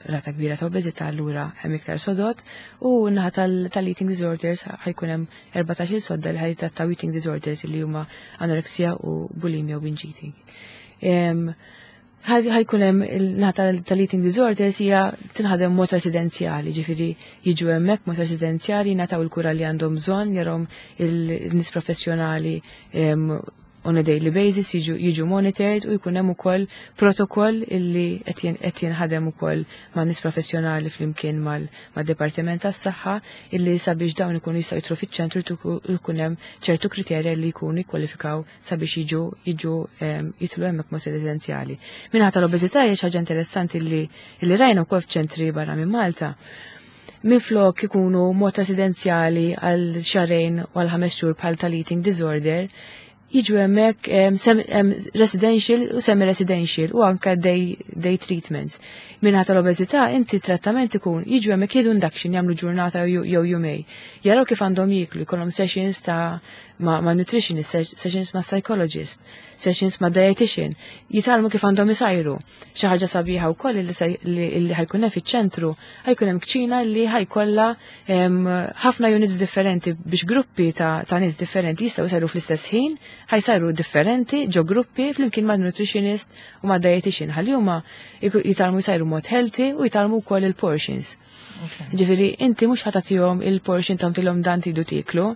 rata kbira ta' obeżità, allura hemm iktar sodod, u naħa tal-eating disorders ħa jkun hemm 14 sodda li ħa jitrattaw eating disorders li huma anoreksija u bulimia u binge eating. Ħa jkun hemm il-naħa tal-eating disorders hija tinħadem mod residenzjali, ġifieri jiġu hemmhekk mod residenzjali, jingħataw il-kura li għandhom bżonn, jarahom il-nies professjonali on a daily basis, jiġu monitored u jkun hemm ukoll protokoll illi qed jinħadem ukoll ma' nies professjonali flimkien mad-Dipartiment tas-Saħħa, illi sabiex dawn ikunu jistgħu jidħlu fiċ-ċentru jkun hemm ċertu kriterja li jkunu jikkwalifikaw sabiex jiġu jidħlu hemmhekk mod residenzjali. Min-naħa tal-obeżità hija xi ħaġa interessanti li rajna wkoll f'ċentri barra minn Malta. Minflok ikunu mod residenzjali għal xahrejn u għal 5 xhur bħal tal-eating disorder, jiġu hemmhekk residential u semi-residential u anka day treatments. Min-naħa tal-obeżità inti trattament ikun jiġu hemmhekk, jieħdu induction, jagħmlu ġurnata jew jumejn. Jaraw kif għandhom jieklu, jkollhom sessions ta' ma' nutritionist, sessions ma' psychologist, sessions ma' dietitian, jitgħallmu kif għandhom isajru. Xi ħaġa sabiħa wkoll li ħa jkun hemm fiċ-ċentru, ħa jkun hemm kċina li ħa jkollha ħafna units differenti biex gruppi ta' nies differenti jistgħu jsajru fl-istess ħin, ħa jsajru differenti ġo gruppi flimkien ma' nutritionist u ma' dietitian, ħalli huma jitgħallmu jsajru mod healthy u jitgħallmu wkoll il-portions. Ġifieri, inti mhux ħa tagħtihom il-portion tagħtilhom dan tridu tieklu,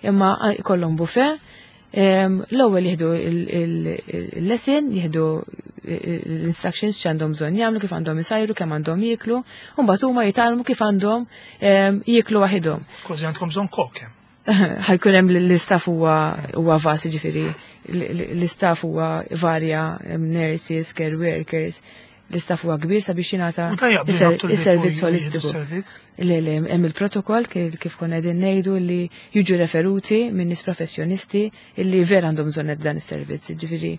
imma jkollhom buffet, l-ewwel jieħdu il-lesson, jieħdu l-instructions x'għandhom bżonn jagħmlu, kif għandhom isajru, kemm għandhom jieklu, u mbagħad huma jitgħallmu kif għandhom jieklu waħidhom. Kważi għandkom bżonn kok hemm. Ħa jkun hemm l-istaff huwa vast, ġifieri l-istaff huwa varja, hemm nurses, care workers, l-istaff huwa kbir sabiex jingħata U tajjeb li ħabtu l-bib is-servizz u jieħdu holistiku. s-servizz. Le, hemm il-protokoll kif konna qegħdin ngħidu li jiġu referuti minn nies professjonisti illi vera għandhom bżonn dan is-servizz, ġifieri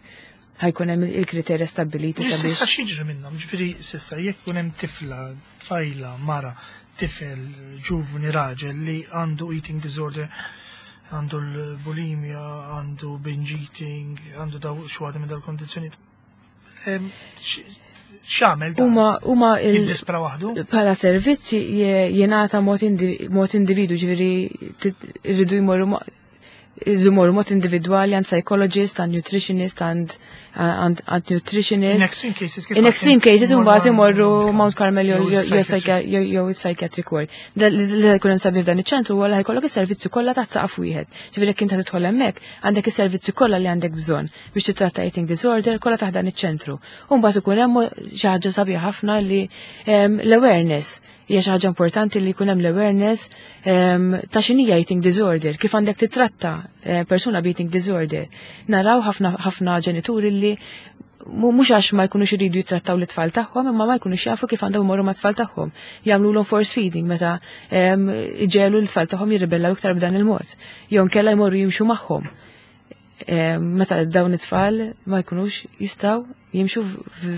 ħa jkun hemm il-kriterja stabbiliti Ġifieri sabiex. S'issa x'jiġri minnhom? Ġifieri s'issa jekk ikun hemm tifla, tfajla, mara, tifel, ġuvni, raġel li għandu eating disorder, għandu l-bulimia, għandu binge eating, għandu daw xi waħda minn dal-kondizzjoni. X'għamel dan? Huma Jiddispra waħdu? Bħala servizzi jingħata mod individu, ġifieri irridu jmorru Imorru mod individwali għand psychologist, għand nutritionist, għand nutritionist. In extreme cases. In extreme cases, mbagħad imorru Mount Carmel jew psychiatric ward. Li jkun hemm sabiħ dan iċ-ċentru huwa li ħajkollok is-servizzi kollha taħt saqaf wieħed. Ġifieri jekk inti tidħol hemmhekk, għandek is-servizzi kollha li għandek bżonn biex titratta eating disorder kollha taħt dan iċ-ċentru. U mbagħad ikun hemm xi ħaġa sabiħa ħafna li l-awareness hija xi ħaġa importanti li jkun hemm l-awareness ta' x'inhija eating disorder, kif għandek titratta persuna b'eating disorder. Naraw ħafna ħafna ġenituri li mhux għax ma jkunux iridu jittrattaw l-tfal tagħhom, imma ma jkunux jafu kif għandhom imorru mat-tfal tagħhom. Jagħmlulhom force feeding meta iġegħlu l-tfal tagħhom jirribellaw iktar b'dan il-mod. Jew inkella jmorru jimxu magħhom. Meta dawn it-tfal ma jkunux jistgħu jimxu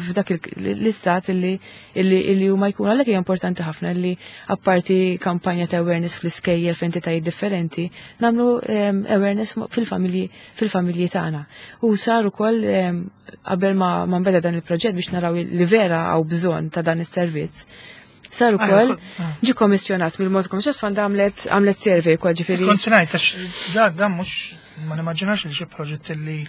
f'dak l-istat illi huma jkunu. Għalhekk hija importanti ħafna li apparti kampanja ta' awareness fl-iskejjel f'entitajiet differenti, nagħmlu awareness fil-familji tagħna. U sar ukoll qabel ma nbeda dan il-proġett biex naraw li vera hawn bżonn ta' dan is-servizz. Sar ukoll ġi kommissjonat mill-Malta Community Chest Fund għamlet survey ukoll, ġifieri. Kont ngħid għax da mhux ma nimmaġinax li xi proġett li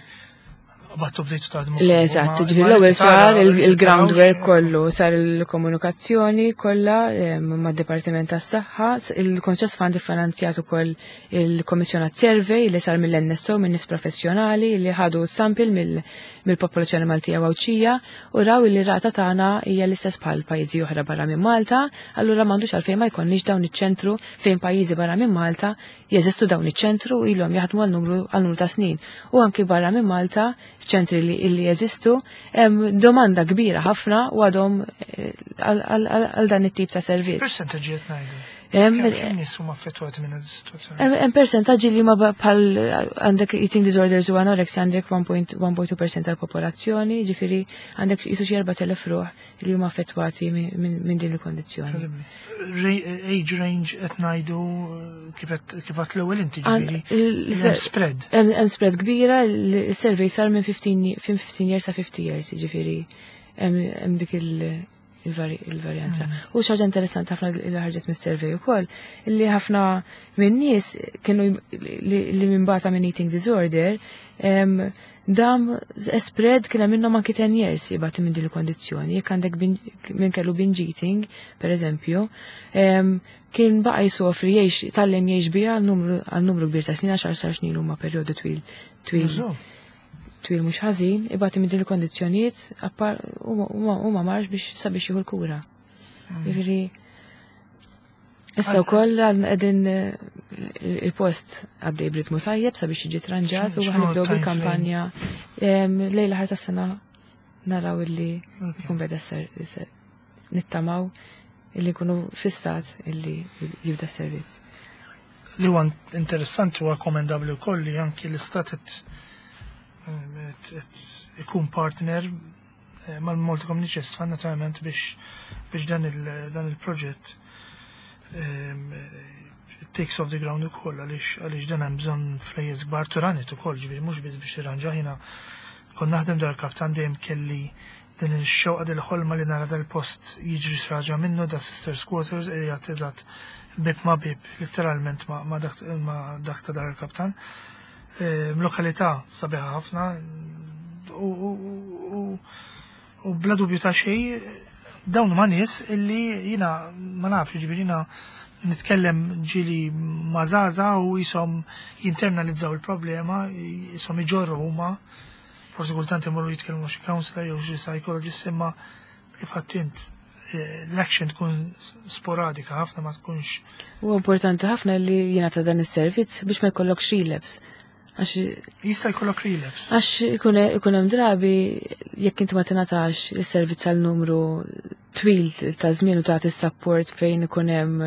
battu bdejtu taħdmu. Le, eżatt, ġifieri l-ewwel sar il-groundwork kollu, sar il-komunikazzjoni kollha mad-Dipartiment tas-Saħħa, il-Conscious Fund iffinanzjat ukoll il-kommissjonat survey li sar mill-NSO, minn nies professjonali li ħadu sample mill-popolazzjoni Maltija u Għawdxija u raw li rata tagħna hija l-istess bħal pajjiżi oħra barra minn Malta, allura m'għandux għalfejn ma jkollniex dawn iċ-ċentru fejn pajjiżi barra minn Malta jeżistu dawn iċ-ċentru ilhom jaħdmu għal numru ta' snin. U anki barra minn Malta, ċentri li jeżistu, hemm domanda kbira ħafna u għadhom għal dan it-tip ta' servizz. Percentaġġi qed ngħidu? Kemm nies huma affettwati minn is-sitwazzjoni? Hemm percentaġġi li huma bħal għandek eating disorders u anorexia għandek 1.2% tal-popolazzjoni, ġifieri għandek jisu xi 4000 ruħ li huma affettwati minn din il-kondizzjoni. Age range qed ngħidu kif qed l-ewwel inti, ġifieri spread. Hemm spread kbira, il-survey sar minn 15 years sa 50 years, ġifieri hemm dik il-varjanza. U xaġa interessanti ħafna li ħarġet mis-survey ukoll, li ħafna minn nies kienu li minn bata minn eating disorder, dam spread kien hemm minnhom anki 10 years jibgħatu minn din il-kondizzjoni. Jekk għandek minn kellu binge eating, per eżempju, kien baqa' jsofri jgħix tgħallem jgħix biha għal numru kbir ta' snin, għaxar sar snin huma perjodu twil twil. Twil mhux ħażin, ibati minn din il-kondizzjonijiet u ma marx biex sabiex jieħu l-kura. Jiġifieri issa wkoll qegħdin il-post għaddej b'ritmu tajjeb sabiex jiġi tranġat u X'inhu ħa nibdew time frame? bil-kampanja lejn l-aħħar tas-sena naraw illi jkun beda ser nittamaw illi jkunu fi stat illi jibda s-servizz. Li huwa interessanti huwa komendabbli wkoll li anki l-istat qed ikun partner mal-Malta Community Chest Fund naturalment biex dan il-proġett takes off the ground ukoll għaliex dan hemm bżonn flejjes kbar turanit ukoll, ġifieri mhux biss biex tirranġa. Jiena kont naħdem Dar Kaptan, dejjem kelli din il-xewqa, din il-ħolma li nara dal-post jiġri xraġa minnu, da Sisters Quarters qiegħed eżatt bib ma bib literalment ma dak ta' Dar Kaptan. Lokalità sabiħa ħafna u bla dubju ta' xejn dawn ma' nies illi jina ma nafx, ġifieri jina nitkellem ġili ma' żgħażagħ u jisom jinternalizzaw il-problema, jisom iġorru huma, forsi kultant imorru jitkellmu xi counselor jew xi psychologist, imma kif għedt l-action tkun sporadika ħafna, ma tkunx. U importanti ħafna li jingħata dan is-servizz biex ma jkollokx relapse. Għax Jista' jkollok relapse. Għax ikun hemm drabi jekk inti ma tingħatax is-servizz għal numru twil ta' żmien u tagħti s-support fejn ikun hemm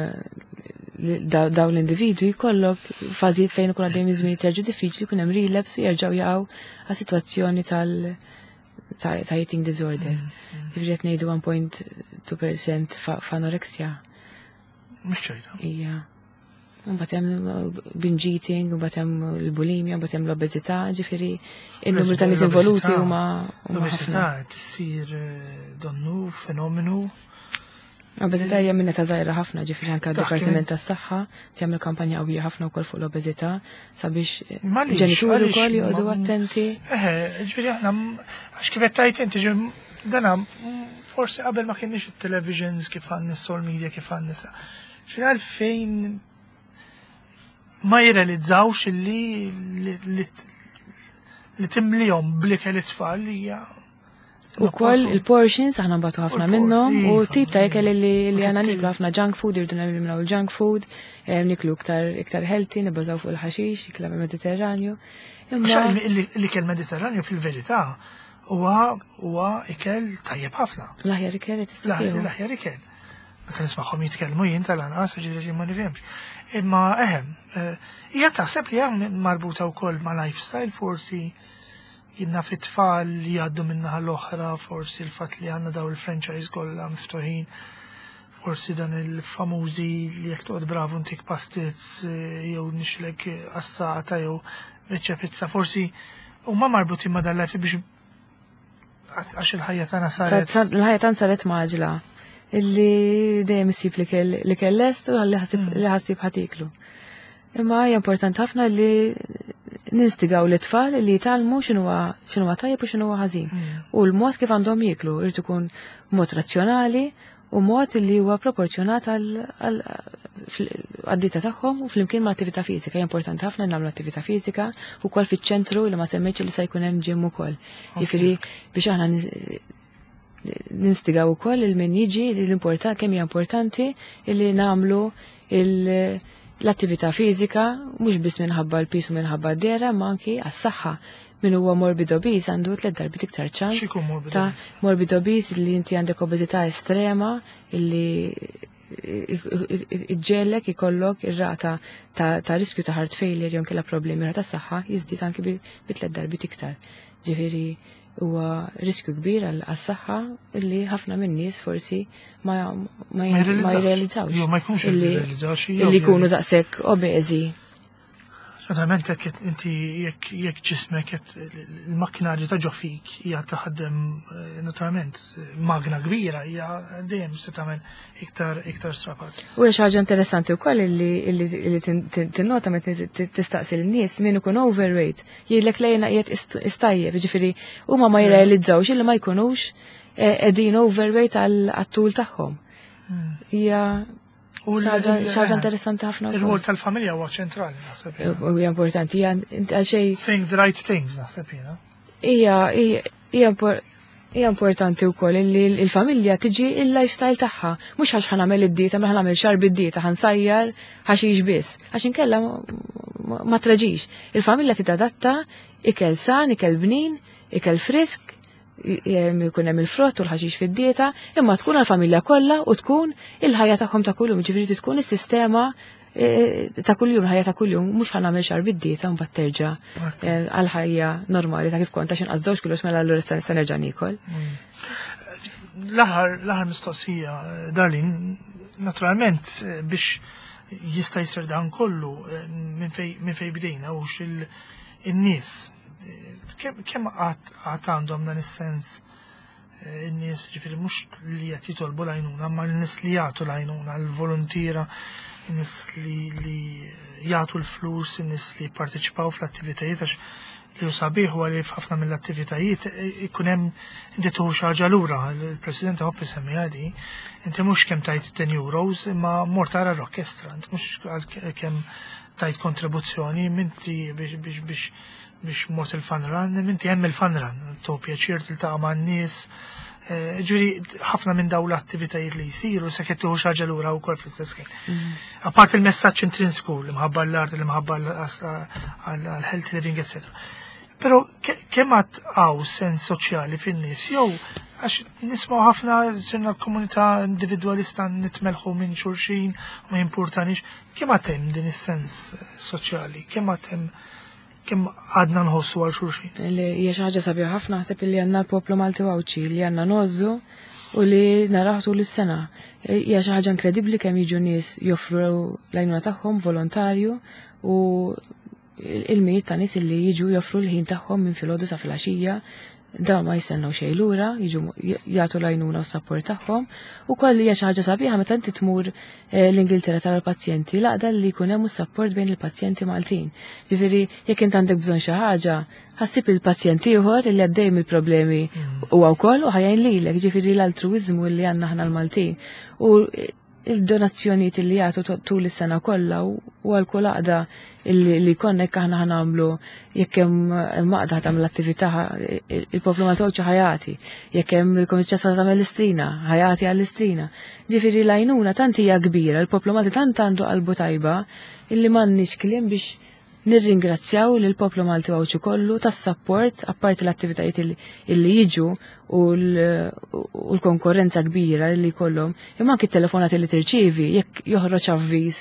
dawn l-individwi, jkollok fażijiet fejn ikun għaddejjem żmien terġu diffiċli, jkun hemm relapse u jerġgħu jaqgħu għas sitwazzjoni ta' eating disorder. Jiġifieri qed ngħidu 1.2% f'anorexia. Mhux ċajta. Ija. Mbagħad hemm binge eating, mbagħad hemm il-bulimia, mbagħad hemm l-obeżità, ġifieri il-numru ta' nies involuti huma L-obeżità ħafna. tissir donnu fenomenu. L-obeżità hija minn età żgħira ħafna, ġifieri anke d-Dipartiment tas-Saħħa tagħmel kampanja qawwija ħafna wkoll fuq l-obeżità sabiex ġenituri wkoll joqogħdu attenti. Eħe, ġifieri aħna għax kif qed tgħid inti dana forsi qabel ma kienx it-televisions kif għandna social media kif għandna sa. Ġifieri għalfejn ma jirrealizzawx li li timlihom blikel it-tfal hija. U koll il-portions, aħna nbatu ħafna minnhom, u iva. tip ta' ikel li għana niklu ħafna junk food, irdu neliminaw il-junk food, eh, niklu iktar iktar healthy, nibbażaw fuq il-ħaxix, ikla mediterranju. L-ikel mediterranju fil-verità huwa huwa ikel tajjeb ħafna. L-aħjar ikel li tista' L-aħjar ikel. Meta nismagħhom jitkellmu jien tal-anqas ġifieri ma nifhimx. Imma ehem, eh, hija taħseb li hemm marbuta wkoll ma' lifestyle forsi jien naf it-tfal li jgħaddu min-naħa l-oħra, forsi l-fatt li għandna daw il-franchise kollha miftuħin, forsi dan il-famużi li jekk toqgħod bravu ntik pastizz eh, jew nixlek assata jew biċċa pizza, forsi huma marbutin ma' dan life biex għax il-ħajja tagħna saret. Il-ħajja tagħna saret maġla illi dejjem issib li kell lest u li ħassib ħatiklu. Imma hija importanti ħafna li ninstigaw l-tfal li jitgħallmu x'inhuwa tajjeb u x'inhuwa ħażin. U l-mod kif għandhom jieklu irid ikun mod razzjonali u mod li huwa proporzjonat għad-dieta tagħhom u flimkien ma' attività fiżika. Hija importanti ħafna nagħmlu attività fiżika wkoll fiċ-ċentru li ma semmejtx li se jkun hemm ġim ukoll. Jiġifieri biex aħna ninstigaw ukoll il min jiġi li l-important kemm hija importanti li nagħmlu l-attività fiżika mhux biss minħabba l-piż u minħabba d-dera ma anki għas-saħħa min huwa morbid obese għandu tliet darbiet iktar ċans ta' morbid obese li inti għandek obeżità estrema illi iġġellek ikollok ir-rata ta' riskju ta' heart failure jew kella problemi ta' saħħa jiżdied anki bi tliet darbiet iktar. Ġifieri huwa riskju kbir għas-saħħa illi ħafna minn nies forsi ma jirrealizzawx. Ma jkunx jirrealizzawx. Illi jkunu daqshekk obeżi. Naturalment jekk inti jekk ġismek qed il-makkinarju ta' ġo fik hija taħdem eh, naturalment magna kbira hija dejjem se tagħmel iktar iktar strapaz. U hija xi ħaġa interessanti wkoll illi tinnota meta tistaqsi lin-nies min ikun overweight jgħidlek lejna qiegħed istajjeb, jiġifieri huma ma jirrealizzawx illi ma jkunux eh, qegħdin overweight għat-tul tagħhom. Hmm. Hija Xaġa interessanti ħafna. Il-rwol tal-familja huwa ċentrali, naħseb. Huwa importanti, hija għal xejn. Saying the right things, naħseb jiena. Hija hija importanti wkoll li l-familja tiġi il-lifestyle tagħha. Mhux għax ħanamel id-dieta, ma ħanamel xar bid-dieta, ħansajjar ħaxix biss. Għax inkella ma traġix. Il-familja titadatta ikel san, ikel bnin, ikel frisk, jkun hemm il-frott u l-ħaxix fid-dieta, imma tkun għall-familja kollha u tkun il-ħajja tagħhom ta' kuljum, ġifieri tkun is-sistema e, ta' kuljum, ħajja ta' kuljum, mhux ħa nagħmel xar bid-dieta mbagħad terġa' e, għall-ħajja normali ta' kif kont għax inqas żewġ kilos mela allura se nerġa' niekol. Mm. L-aħħar mistoqsija, Darlin, naturalment biex jista' jsir dan kollu eh, minn fej bdejna u xil-nies kemm għad għandhom dan is-sens eh, in-nies ġifieri mhux li qed jitolbu l-għajnuna, ma l-nies li jagħtu l-għajnuna, l-voluntiera, in-nies li jagħtu l-flus, in-nies li jipparteċipaw fl-attivitajiet għax li hu sabiħ huwa li f'ħafna mill-attivitajiet eh, ikun hemm inti tuħu xi ħaġa lura, il-President Hoppi semmiha di, inti mhux kemm tajt 10 euros imma mort tara l-orkestra, inti mhux kemm tajt kontribuzzjoni, minti biex biex biex mort il-fun run, minti hemm il-fun run, to pjaċir tiltaqa' man-nies. Eh, ġifieri ħafna minn dawn l-attivitajiet li jsiru se qed tieħu xi ħaġa lura wkoll fl-istess ħin. Mm. Apart il-messaġġ intrinsku li mħabba l-art, li mħabba għal-health living, etc. Però kemm għad hawn sens soċjali fin-nies jew għax nismaw ħafna sirna komunità individwalista nitmelħu minn xulxin ma jimpurtanix, kemm għad hemm din is-sens soċjali, kemm għad hemm kemm għadna nħossu għal xulxin. Li hija xi ħaġa sabiħa ħafna naħseb li għandna l-poplu Malti Għawdxi li għandna nożżu u li naraħ tul is-sena. Hija xi ħaġa inkredibbli kemm jiġu nies joffru l-għajnuna tagħhom volontarju u il-mijiet ta' nies li jiġu joffru l-ħin tagħhom minn filgħodu sa filgħaxija. Dawn ma jistennew xejn lura, jiġu jagħtu l-għajnuna u s-sapport tagħhom. Ukoll hija xi ħaġa sabiħa meta inti tmur eh, l-Ingilterra tara l-pazjenti l-għaqda li jkun hemm sapport bejn il-pazjenti Maltin. Ġifieri jekk int għandek bżonn xi ħaġa, ħassib il-pazjent ieħor li għaddej mill-problemi mm. huwa wkoll u ħajjin lilek, ġifieri l-altruiżmu li għandna aħna l-Maltin. U il-donazzjonijiet li jagħtu tul is-sena kollha u għal kull għaqda li konnek aħna ħanamlu jekk hemm għaqda tagħmel attività il-poplu ma tgħodx ħajati, jekk hemm il-Kumitat tagħmel l-istrina, ħajati għall-istrina. Ġifieri l-għajnuna tant hija kbira, il-poplu Malti tant għandu qalbu tajba illi m'għandniex kliem biex Nirringrazzjaw lill-poplu Malti u Għawdxi kollu tas-sapport apparti l-attivitajiet illi jiġu u l-konkorrenza kbira li jkollhom, imma anki t-telefonati li tirċievi jekk joħroġ avviż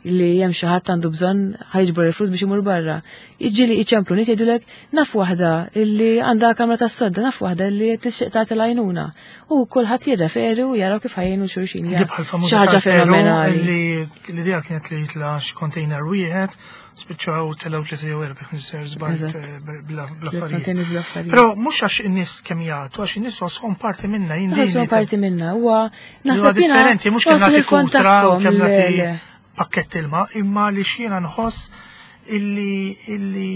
li hemm xi ħadd għandu bżonn ħajġbor il-flus biex imur barra. Jiġi li iċemplu nies jgħidulek naf waħda illi għandha kamra tas-sodda, naf waħda illi tixtieq tagħti l-għajnuna. U kulħadd jirreferi u jaraw kif ħajjinu xulxin. Xi ħaġa fenomenali. L-idea kienet li jitla container wieħed, spiċċaw telgħu tlieta jew erba' kien ser żball eh, bl-affarijiet. Però mhux għax in-nies kemm jagħtu, għax in-nies għoshom parti minna jien. Għoshom parti minna, huwa naħseb differenti mhux kemm nagħti kutra u kemm nagħti pakkett ilma, imma li xjiena nħoss illi illi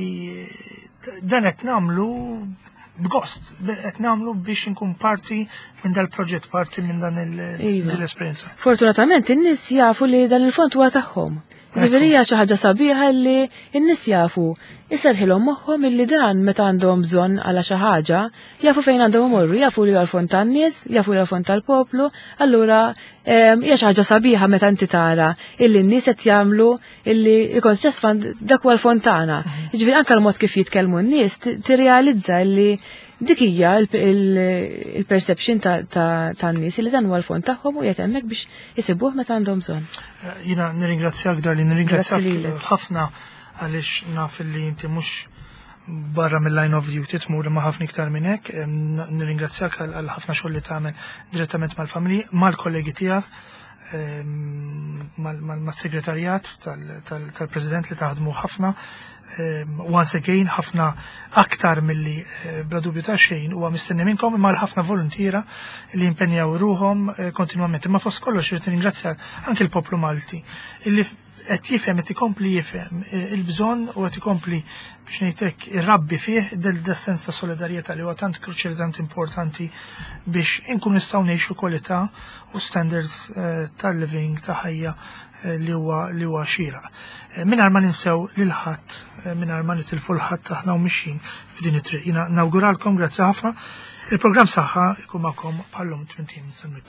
dan qed nagħmlu b'gost, qed nagħmlu biex inkun parti minn dal-proġett, parti minn dan iva. l-esperjenza. Fortunatament in-nies jafu li dan il-fond huwa tagħhom. Ġifieri hija xi ħaġa sabiħa li n-nies jafu iserħilhom moħħhom illi dan meta għandhom bżonn għala xi ħaġa, jafu fejn għandhom imorru, jafu li għal fond tan-nies, jafu li għal fond tal-poplu, allura hija xi ħaġa sabiħa meta inti tara illi n-nies qed jagħmlu illi il-Conscious Fund dak huwa l-fond tagħna. Mhm. Jiġifieri anke l-mod kif jitkellmu n-nies tirrealizza illi dik hija il-perception tan-nies li dan huwa l-fond tagħhom u qiegħed hemmhekk biex isibuh meta għandhom bżonn. Eh, jiena nirringrazzjak Darli, nirringrazzjak ħafna għaliex naf li inti mhux barra mill-line of duty tmur imma ħafna iktar minn hekk. Nirringrazzjak għal ħafna xogħol li tagħmel direttament mal-familji, mal-kollegi tiegħek mas-segretarjat tal-President li taħdmu ħafna. Once again, ħafna aktar milli eh, bla dubju ta' xejn huwa mistenni minnkom imma ħafna voluntiera li impenjaw ruhom eh, kontinwament. Imma fost kollox irid nirringrazzja anke l-poplu Malti illi qed jifhem qed ikompli jifhem eh, il-bżonn u qed ikompli biex ngħidlek irrabbi fih del sens ta' solidarjetà li huwa tant kruċjali tant importanti biex inkun nistgħu ngħixu kwalità u standards eh, tal-living ta' ħajja eh, li huwa li huwa xieraq. Mingħajr ma ninsew lil ħadd, mingħajr ma nitilfu l-ħadd aħna u mixjin f'din it-triq. Jiena nawguralkom grazzi ħafna. Il-programm saħħa ikun magħkom bħallum 80 semmit.